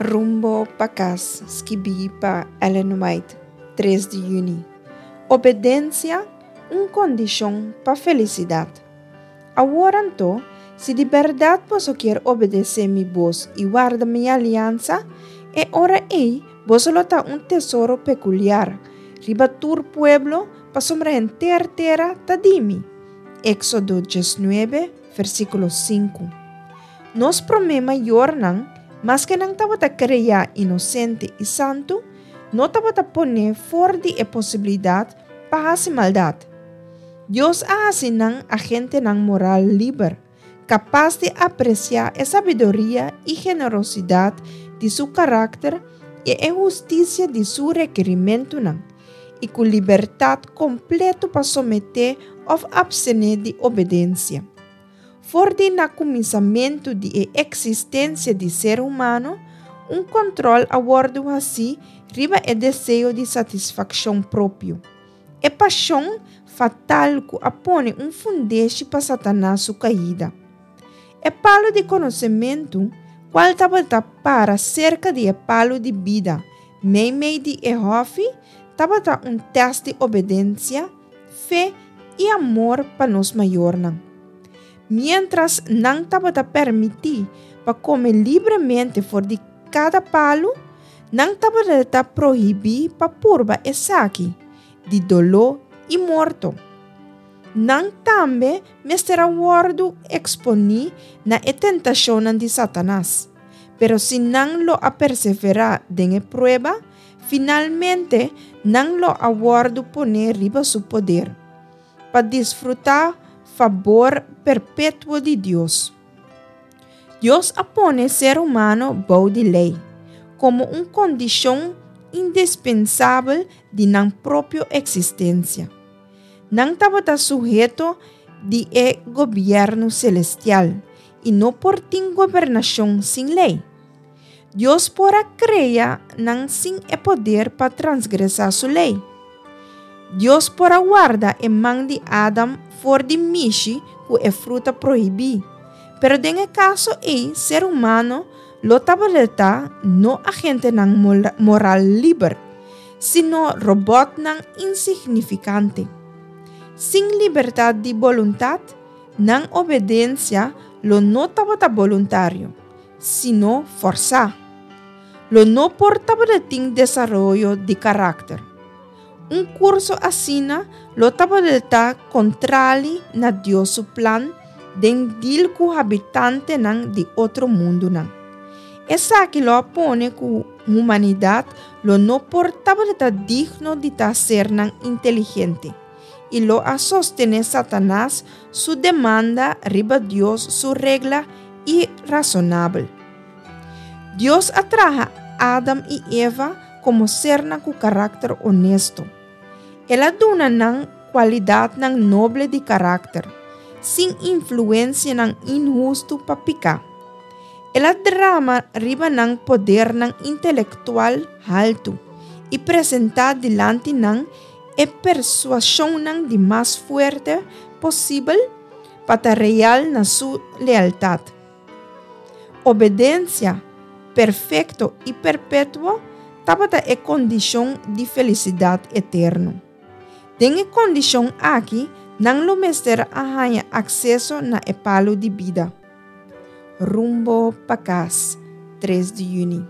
Rumbo pa kas, skibí pa Ellen White, 3 di yüni. Obedensia, un kondishon pa felisidat. Awor anto, si di bèrdat boso kier obedesé mi bos i warda mi aliansa, e ora ei boso lo ta un tesoro pekuliar riba tur pueblo, pasobra henter tera ta di mi. Éksodo 19, versíkulo 5. Nos promé mayornan, maske nan tabata kreá inosente i santu, no tabata poné for di e posibilidat pa hasi maldat. Dios a hasi nan agentenan moral liber, kapas di apresiá e sabiduria i generosidat di su karakter i e hustisia di su rekerimentunan, i ku libertat kompletu pa someté òf apstené di obedensia. For di na kuminsamentu di e eksistensia di ser humano, un kòntròl a wòrdu hasí riba e deseo di satisfakshon propio, e pashon fatal ku a pone un fundeshi pa Satanas su kaida. E palu di konosementu, kual tabata para serka di e palu di bida meimei di e hòfi, tabata un tèst di obedensia, fe i amor pa nos mayornan. Miéntras nan tabata permití pa kome libremente for di kada palu, nan tabata prohibí pa purba esaki di doló i morto. Nan tambe mester a wòrdu eksponí na e tentashonnan di Satanas. Pero si nan lo a perseverá den e prueba, Finalmente, nan lo a wòrdu poné riba su poder, pa disfrutá fabor perpetuo di Dios. Dios a pone ser humano bou di lei, komo un kondishon indispensabel di nan propio eksistensia. Nan tabata suheto di e gobièrnu selestial i no por tin gobernashon sin lei. Dios por a krea nan sin e poder pa transgresá su lei. Dios por a warda e man di Adam for di mishi ku e fruta prohibí, pero den e kaso ei ser humano lo tabata no agentenan moral liber, sino robòtnan insignifikante. Sin libertat di boluntat, nan obedensia lo no tabata boluntario. sino fòrsá. Lo no por tabata tin desaroyo di karakter. Un kurso asina lo tabata ta kontrali na Dios su plan den dil ku habitantenan di otro mundunan. Esaki lo a pone ku humanidat lo no por tabata digno di ta sernan inteligente i lo a sostené Satanas su demanda riba Dios su regla irasonabel. Dios a traha Adam i Eva komo sernan ku karakter onesto. El a duna nan kualidatnan noble di karakter, sin influensianan inhustu pa piká. El a drama riba nan podernan intelektual haltu i presentá dilanti nan e persuashonnan di mas fuerte posibel pa ta real na su lealtat. Obedensia perfekto i perpetuo tabata e kondishon di felisidat eterno. Den e kondishon aki nan lo mester a haña akseso na e palu di bida. Rumbo pa kas, 3 di yüni.